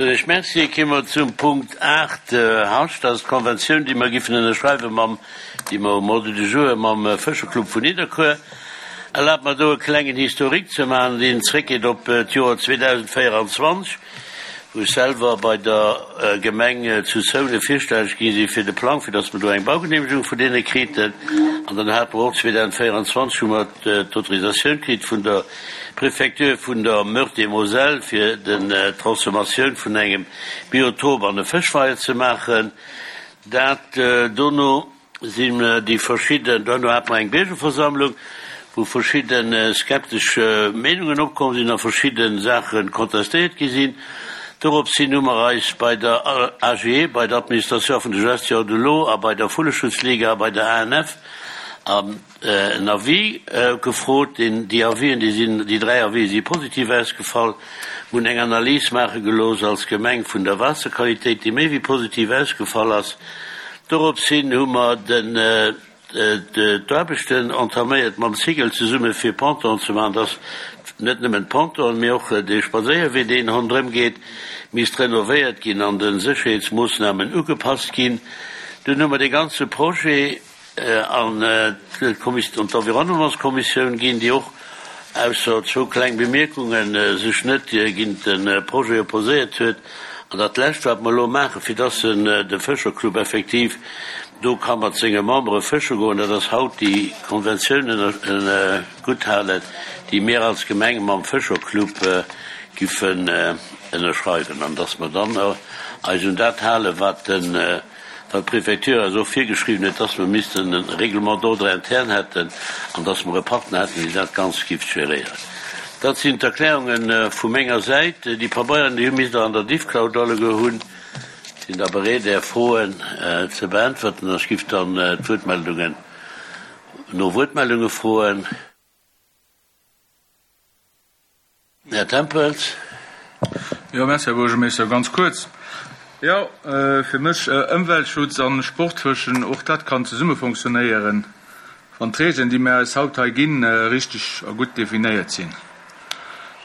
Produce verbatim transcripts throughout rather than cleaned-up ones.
Ech Merci. Komme mer zum Punkt aacht, Hauscht, dat ass d'Konventioun, déi mer giffen ënnerschreiwe mam, déi mer um Ordre du jour mam Fëscherclub vun Nidderkuer. Erlaabt mer do e klengen Historique ze maachen, deen zréckgeet op d'Joer zweedausendvéieranzwanzeg, wou ech selwer bei der Gemeng zu Zounen virstelleg gi si fir de Plang, fir datt mer do eng Baugenehmegung vun deene kriten. An dann hate mer och zweedausendvéieranzwanzeg hu mer d'Autorisatioun kritt vun der Préfecture vun der Meurthe-et-Moselle fir den d'Transformatioun vun engem Biotop an e Fëschweier ze maachen. Dat dono sinn déi verschidden, dono hate mer eng Biergerversammlung, wou verschidde skeptesch Meenungen opkomm sinn a verschidde Saache contestéiert gi sinn. Dorops hin hu mer eis bei der A G E, bei der Administration vun der Gestion de l'eau a bei der Vulleschutzliga a bei der A N F an en Avis gefrot. Deen, déi Avisen, déi sinn, déi dräi Avisen si positiv ausgefall. Mir hunn eng Analys maache gelooss als Gemeng vun der Waasserqualitéit, déi méi wéi positiv ausgefall ass. Dorops hin hu mer den d'Aarbechten entaméiert mam Cigl zesumme fir Ponton ze maachen, dass net nëmmen d'Ponton, mee och de Spadséierwee, deen ronderëm geet, misst renovéiert ginn an de Sécherheetsmoossnamen ugepasst ginn. Dunn hu mer de ganze Projet an d'Environnementskommissioun ginn, déi och ausser zwou kleng Bemierkungen sech net géint de Projet opposéiert huet. An dat Lescht, wat mer elo maachen, fir dass de Fëscherclub effektiv do ka mat senge Membere fësche goen, dat ass haut déi Konventiounen gutthalen, déi mir als Gemeng mam Fëscherclub giffen ënnerschreiwen, an dass mer dann eis un dat halen, wat den wat d'Préfecture eis och virgeschriwwen huet, dass mer missten e Règlement d'ordre interne hätten an dass mer e Partner hätten, deen dat Ganzt giff géréieren. Dat sinn d'Erklärunge vu menger Säit. Déi Pabeieren, déi misst Der an der Diffcloud alleguer hunn. Sinn da bereet, Är Froen ze beäntwerten. Ech giff dann d'Wuertmeldungen no Wuertmeldunge froen. Här Tempels. Jo, merci, Här Buergermeeschter. Ganz kuerz. Jo, fir mech Ëmweltschutz an Sportfëschen, och dat kann zesumme funktionéieren, wann d'Regeln, déi mir eis haut hei ginn, richteg a gutt definéiert sinn.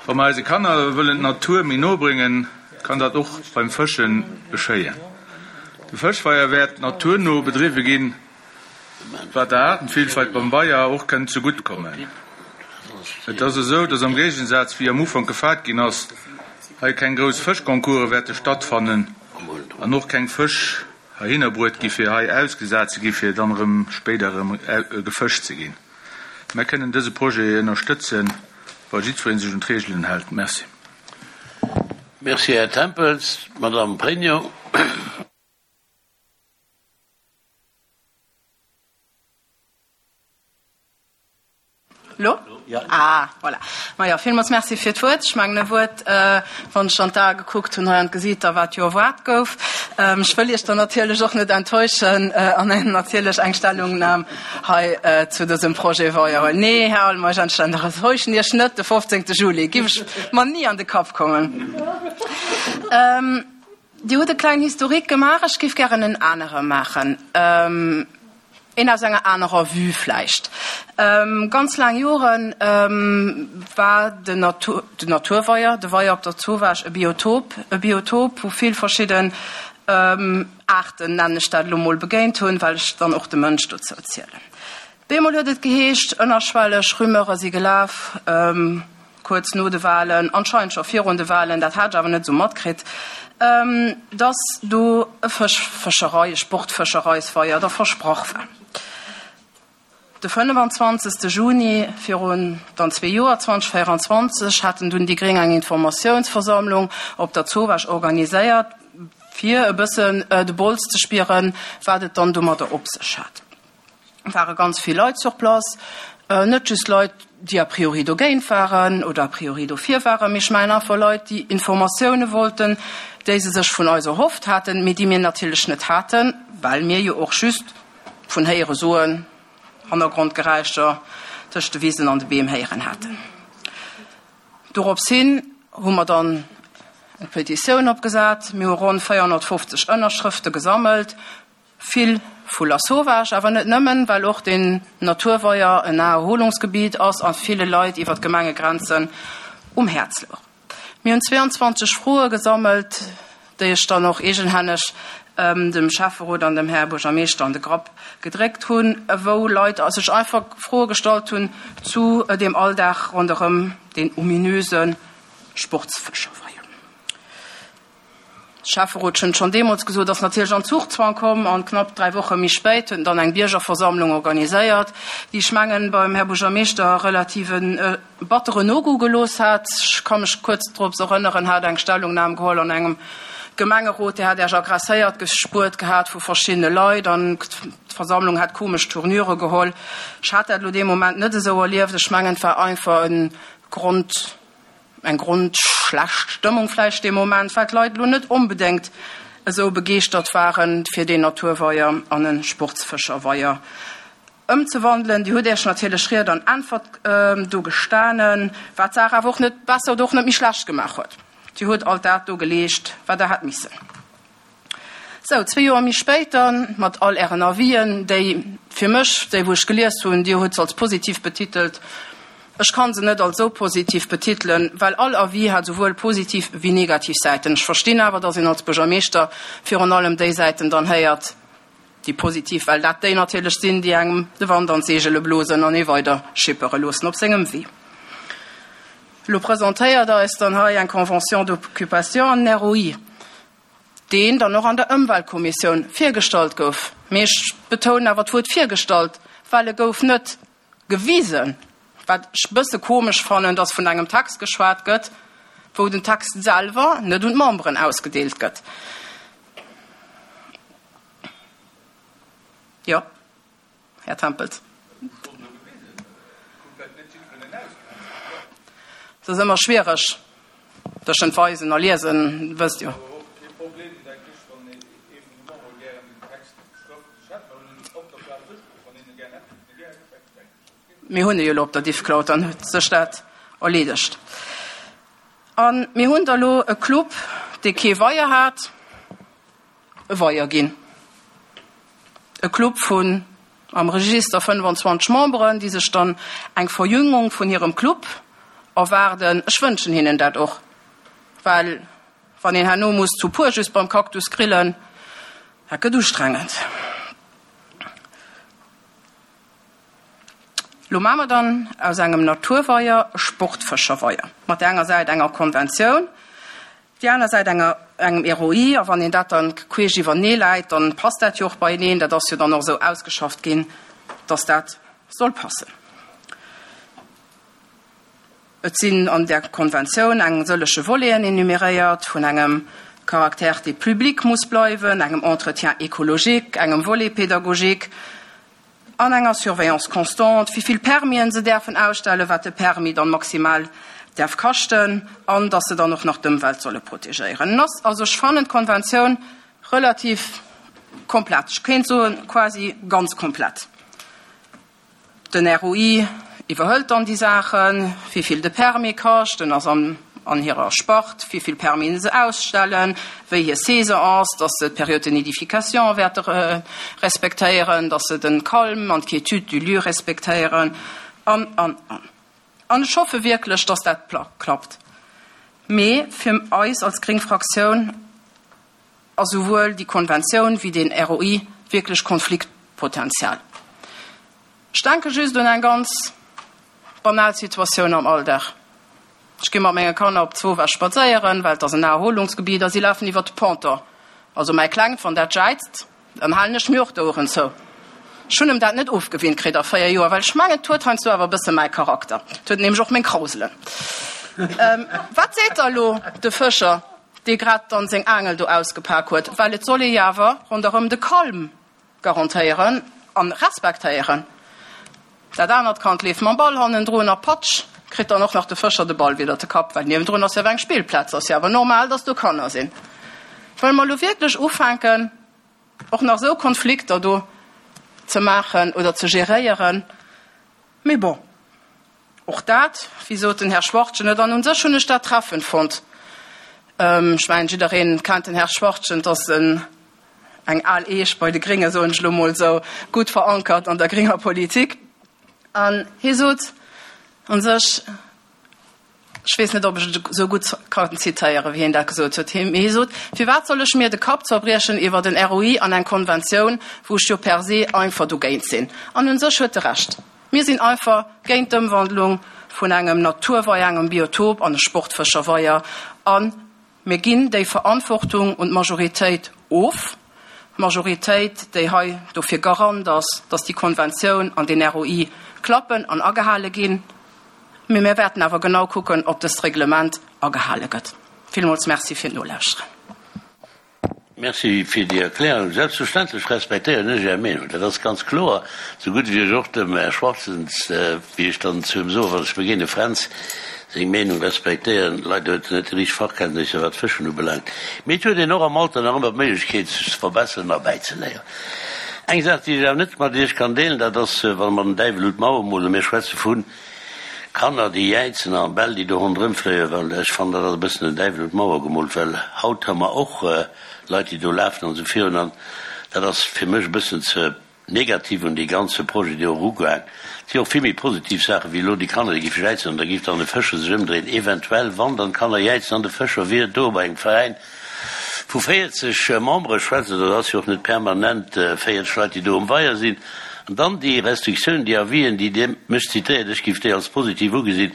Wa mer eise Kanner wëllen d'Natur méi no bréngen, kann dat och beim Fësche geschéien. De Fëschweier wäert naturno bedriwwe ginn, wat der Aartenvielfalt beim Weier och kënnt zegutt kommen. Et ass esou, dass am Géigensaz wéi am Ufank gefaart ginn ass, hei keng grouss Fëschconcourse wäerte stattfannen an och keng Fësch heihinner bruet gi fir hei ausgesat ze gi fir dann erëm spéider erëm gefëscht ze ginn. Mir kënnen dëse Projet ënnerstëtzen, wa jiddweree sech un d'Reegelen hält. Merci. Merci, Här Tempels. Madame Pregno. Lo? Ah, voilà. Majo, villmools Merci fir d'Wuert. Ech mengen e Wuert, wann ech an d'Ae gekuckt hunn hei an d'Gesiiter, wat jo erwaart gouf. Ech wëll Iech dann natierlech och net enttäuschen an natierlech eng Stellungnam hei zu dësem Projet weier. Nee, Här Almeisch, enttäuschen Iech net, de fofzéngte Juli giff ech mer ni an de Kapp kommen. Dir hutt e klengen Historique gemaach, ech giff gären en anere maachen. Een aus enger anerer Vue vläicht. Ganz laang Jore war den Natur, den Naturweier, de Weier op der Zowaasch e Biotop, e Biotop, wou vill verschidden Aarten, nennen ech dat elo mol, begéint hunn, well ech dann och de Mënsch dozou zielen. Bemol huet et geheescht, ënnerschwelleg Rumeure si gelaf, kuerz no de Wahlen, anscheinend scho virun de Wahlen, dat hat ech awer net esou matkritt, dass do e Fësch, Fëscherei, e Sportfëschereisweier da versprach war. De fënnefenzwanzegste Juni virun dann zwee Joer, zweedausendvéieranzwanzeg, haten dunn déi Gréng eng Informatiounsversammlung op der Zowaasch organiséiert, fir e bëssen de Bols ze spieren, wat et dann domadder op sech hat. Ware ganz vill Leit sur place, net just Leit, déi a priori dogéint waren oder a priori dofir waren, mee ech mengen einfach Leit, déi Informatioune wollten, déi se sech vun eis erhofft haten, mee déi mir natierlech net haten, well mir jo och just vun Héiere soen, Hannergrondgeräischer tëscht de Wisen an de Beem héieren haten. Dorops hin hu mer dann eng Petitioun opgesat, mir hu ronn véierhonnertfofzeg Ënnerschrëfte gesammelt, vill vu Lasauvage, awer net nëmmen, well och den Naturweier en Naherholungsgebiet ass a ville Leit iwwer d'Gemengegrenzen um Häerz louch. Mir hunn zwee an zwanzeg Froe gesammelt, déi ech dann och eegenhänneg dem Schäfferot an dem Här Buergermeeschter an de Grapp gedréckt hunn, wou Leit sech einfach Froe gestallt hunn zu dem Alldag ronderëm den ominöse Sportsfëscherweier. Schäfferot hunn schonn deemools gesot, ass natierlech an Zugzwang komm, an knapp dräi Woche méi spéit hunn dann eng Biergerversammlung organiséiert, déi ech mengen beim Här Buergermeeschter relativ e batteren No-Goût gelooss hat. Ech ka mech kuerz drop erënneren, hat eng Stellungnam geholl an engem Gemengerot, Dir hat Iech aggresséiert gespuert gehat vu verschiddene Leit an d'Versammlung hat komesch Tournure geholl. Ech hat dat elo dee Moment net esou erlieft. Ech mengen, et war einfach e Grond, eng grondschlecht Stëmmung vläicht dee Moment, well d'Leit elo net onbedéngt esou begeeschtert waren, fir deen Naturweier an e Sportsfëscherweier ëmzewandelen. Dir hutt Iech natierlech Ried an Äntwert do gestanen, wat d'Saach awer och net besser oder och net méi schlecht gemaach huet. Dir hutt alt dat do geleescht, wat Der hätt missen. Sou, zwee Joer méi spéit dann, mat all Ären Avisen, déi fir mech, déi wou ech gelies hunn, Dir hutt se als positiv betitelt, ech ka se net als esou positiv betitelen, well all Avis hat souwuel positiv wéi negativ Säiten. Ech verstinn awer, dass een als Buergermeeschter virun allem déi Säiten dann héiert, déi positiv, well dat déi natierlech sinn, déi engem de Wand an d'Seegele blosen an ee weider schippere loossen op sengem Wee. Elo presentéiert Der eis dann hei eng Convention d'occupation an en R O I, deen dann och an der Ëmweltkommissioun virgestallt gouf. Mee ech betounen awer d'Wuert virgestallt, well e gouf net gewisen, wat ech e bësse komesch fannen, dass vun engem Text geschwat gëtt, wou den Text selwer net un d'Memberen ausgedeelt gëtt. Jo, Här Tempels. Et ass ëmmer schwiereg tëschent weisen a liesen, wësst jo. Mir hunn e jo elo op der Diffcloud, dann huet sech dat erleedegt. A mir hunn da lo e Club, dee kee Weier hat, e Weier ginn. E Club vun am Register fënnefanzwanzeg Memberen, déi sech dann eng Verjüngung vun hirem Club erwaarden. Ech wënschen hinnen dat och, well wann een herno muss zu puer just beim Cactus grillen, dat gëtt ustrengend. Lo maache mer dann aus engem Naturweier e Sportfëscherweier, mat där enger Säit enger Konventioun, déi aner Säit enger, engem R O I, a wann een dat dann queesch iwwernee läit, dann passt dat jo och beieneen. Dat ass jo dann och esou ausgeschafft ginn, dass dat soll passen. Et sinn an där Konventioun eng sëllege Voleten enumeréiert, vun engem Caractère, dee public muss bleiwen, engem Entretien écologique, engem Volet pédagogique an enger Surveillance constante, wéi vill Permisen se däerfen ausstellen, wat de Permis dann maximal däerf kaschten an dass se dann och nach d'Ëmwelt solle protegéieren. Also ech fannen d'Konventioun relativ komplett, ech kéint soen quasi ganz komplett. Den R O I iwwerhëlt dann déi Saachen, wéi vill de Permis kascht, en ass an an hirer Spart, wéi vill Permisen se ausstellen, wéi hir Saison ass, dass se d'Période de nidification wäerte respektéieren, dass se den Calme an d'Quiétude du lieu respektéieren an, an, an. An ech hoffe wierklech, dass dat klappt. Mee fir eis als gréng Fraktioun ass souwuel déi Konventioun wéi deen R O I wierklech Konfliktpotenzial. Ech denke just un eng ganz banal Situatioun am Alldag. Ech gi mat menge Kanner op Zwowa spadséieren, well et ass en Naherholungsgebiet a si lafen iwwer de Ponton. Also mäi Klengt, wann dat jäizt, dann halen ech mir och d'Oueren zou. Ech hunn em dat net ofgewinnt kritt a véier Joer, well ech mengen, et huet heiansdo awer e bësse mäi Charakter. Et huet nämlech och meng Krauselen. Wat seet da lo de Fëscher, dee grad dann seng Aangel do ausgepak huet? Well et soll ee jo awer ronderëm de Calme garantéieren an respektéieren. Dat anert Kand leeft mam Ball hannendrun a patsch, kritt dann och nach de Fëscher de Ball widder de Kapp, well niewendrun ass jo awer eng Spillplaz, ass jo awer normal, dass do Kanner sinn. Wëlle mer elo wierklech ufänken, och nach esou Konflikter do ze maachen oder ze geréieren? Mee bon, och dat, wéi sot den Här Schwachtgen et, an u sech hunn ech dat treffend fonnt, ech mengen, jiddereen kennt den Här Schwachtgen, et ass en, eng al Eech bei de Gréngen, soen ech elo mol esou, gutt verankert an der grénger Politik. An hie sot u sech, Ech weess net, ob ech et esou gutt kann zitéieren, wéi hien dat gesot huet. Hie sot, Firwat soll ech mir de Kapp zerbriechen iwwer en R O I an eng Konventioun, wou ech jo per se einfach dogéint sinn? An un sech huet e Recht. Mir sinn einfach géint d'Ëmwandlung vun engem Naturweier, engem Biotop an e Sportfëscherweier. A mir ginn déi Verantwortung un d'Majoritéit of, d'Majoritéit, déi hei dofir Garant ass, dass déi Konventioun an den R O I klappen an agehale ginn. Mee mir wäerten awer genau kucken, ob dëst Reglement agehale gëtt. Villmools Merci fir d'Nolauschteren. Merci fir déi Erklärung. Selbstverständlech respektéieren ech Är Meenung, dat ass ganz kloer. Sou gutt wéi ech och dem Här Schwarzens, wéi ech dann zu him soen, wann ech begéine, Fränz, seng Meenung respektéieren. Leider huet en net déi richteg Fachkenntnisser, wat d'Fëschen ubelaangt. Mee et huet een och am Alter nach ëmmer d'Méiglechkeet, sech ze verbesseren a bäizeléieren. Eng Saach, déi ech awer net mat Iech kann deelen, dat ass, wa mer den Däiwel un d'Mauer molen, mir schwätze vu Kanner, déi jäizen an Bäll, déi do ronderëm fléien, well ech fannen, dat ass e bëssen den Däiwel un d'Mauer gemoolt, well haut hu mer och Leit, déi do lafen an esou virun, an dat ass fir mech e bëssen ze negativ un dee ganze Projet do erugaang. Et si och vill méi positiv Saachen, wéi elo déi Kanner, déi géife jäizen an da géif dann e Fëscher sech ëmdréien, eventuell, wann dann d'Kanner jäizen an de Fëscher wier do bei engem Veräin vu véierzeg Membere schwätzen, dat ass jo och net permanent véierzeg Leit, déi do um Weier sinn. An dann déi Restriktiounen, déi Avisen, déi Dir mech zitéiert, ech géif déi als positiv ugesinn,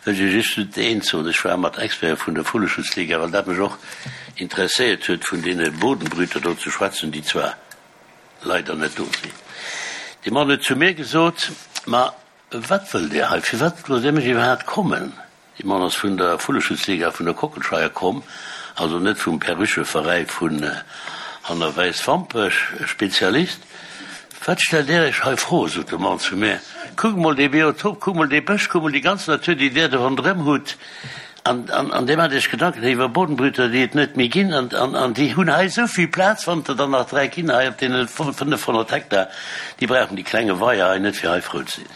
wëll ech Iech just eent soen, Ech war mat Experte vun der Vulleschutzliga, well dat mech och interesséiert huet, vun deene Bodenbrüter do ze schwätzen, déi zwar leider net do sinn. Dee Mann huet zu mir gesot, Ma wat wëllt Dir hei? Firwat loosst Dir mech iwwerhaapt kommen? Dee Mann ass vun der Vulleschutzliga vun der Kockelscheier komm, also net vum Perrucheveräi vun hanner Wäiswampech, e Spezialist. Wat stellt Där Iech hei fro? Sot de Mann zu mir. Kuckt mol dee Biotop, kuckt mol dee Bësch, kuckt mol déi ganz Natur, déi Där do ronderëm hutt, an, an Dir maacht Iech Gedanken iwwer Bodenbrüter, déi et net méi ginn, an, an, an déi hunn hei esou vill Plaz, wann et der dann nach dräi ginn hei op deene fënnefhonnert Hektar, déi brauchen déi klenge Weier hei net, fir hei frou ze sinn.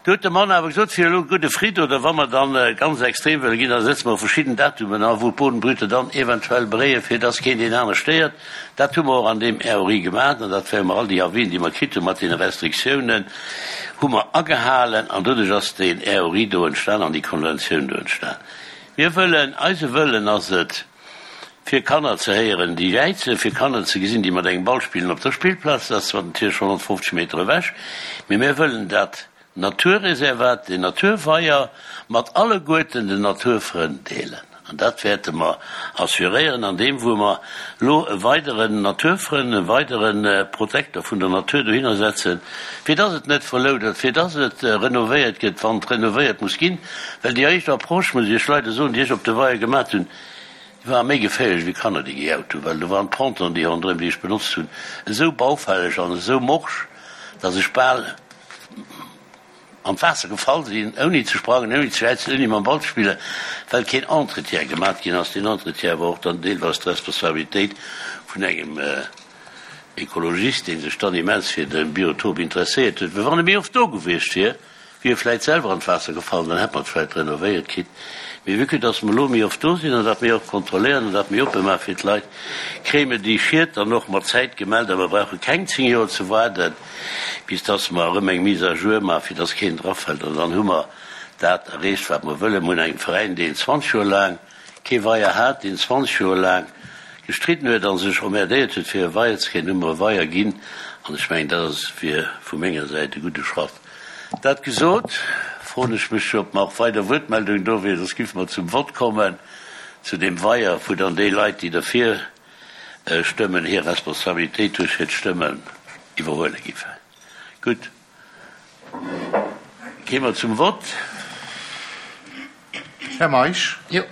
Do huet de Mann awer gesot, fir elo gudde Fridd, oder wa mer dann ganz extrem wëlle ginn, da setze mer verschidden Datumen an, wou d'Bodenbrüter dann eventuell bréien, fir dass keen deen aner stéiert. Dat hu mer och an deem R O I gemaach an dat wäre mer all déi Avisen, déi mer kritt hu mat deene Restriktiounen, hu mer agehalen an doduerch ass deen R O I do entstan an déi Konventioun do entstan. Mir wëllen, eise Wëllen ass et, fir Kanner ze héieren, déi jäizen, fir Kanner ze gesinn, déi mat engem Ball spillen op der Spillplaz, dat ass zwar natierlech honnertfofzeg Meter ewech, mee mir wëllen dat Naturreservat, den Naturweier mat alleguerten den Naturfrënn deelen. An dat wäerte mer assuréieren an deem wou mer lo e weideren Naturfrënn, e weidere Protektor vun der Natur dohinner setzen, fir dass et net verloudert, fir dass et renovéiert gëtt, wann et renovéiert muss ginn. Well déi éischt Approche, muss ech Iech leider soen, déi ech op de Weier gemat hunn, déi war méi geféierlech wéi Kanner, déi gejaut hunn, well do waren d'Pontonen, déi ronderëm, déi ech benotzt hunn, esou baufälleg an esou morsch, dass ech bal an d'Waasser gefall sinn, ouni ze sprangen, ouni ze jäizen, ouni mam Ball ze spillen, well keen Entretien gemat ginn ass. Deen Entretien war och dann deelweis d'Responsabilitéit vun engem Ekologist, dee sech dann immens fir de Biotop interesséiert huet. Well wann e méi oft do gewiescht wier, wier e vläit selwer an d'Waasser gefall, dann hätt mer et vläit renovéiert kritt. Mee vue que dass mer elo méi oft do sinn an dat méi oft kontrolléieren an dat méi oppe maache fir d'Leit, kréie mer déi Schied dann och mat Zäit gemellt a mer brauche keng zéng Joer ze waarden, bis dass mer erëm eng Mise à jour maachen, fir dass keen drafält. An dann hu mer dat erreecht, wat mer wëllen. Mer hunn engem Veräin, deen zwanzeg Joer laang kee Weier hat, deen zwanzeg Joer laang gestridden huet a sech emmerdéiert huet, fir e Weier ze kréien, hu mer e Weier ginn. An ech mengen, dat ass wier vu menger Säit e gudde Schratt. Dat gesot, froen ech mech, ob nach weider Wuertmeldungen do wieren, soss géife mer zum Vott kommen zu deem Weier, wou dann déi Leit, déi derfir stëmmen, hir Responsabilitéit duerch hiert Stëmmen iwwerhuele géifen. Gutt, gi mer zum Vott. Här Meisch? Jo.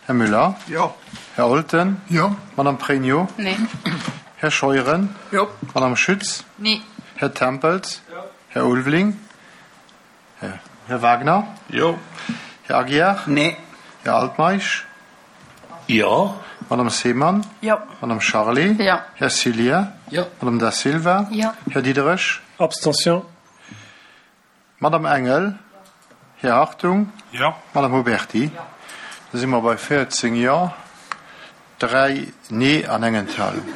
Här Müller? Jo. Här Olten? Jo. Madame Pregno? Nee. Här Scheuren? Jo. Madame Schütz? Nee. Här Tempels? Jo. Här Ulveling? Här Wagner? Jo. Här Aguiar? Nee. Här Altmeisch? Jo. Madame Seemann? Jo. Madame Charlé? Jo. Här Cilier? Jo. Madame Da Silva? Jo. Här Diderich? Abstention. Madame Engel? Här Hartung? Jo. Madame Huberty? Jo. Da si mer bei véierzéng Jo, dräi Nee an eng Enthalung.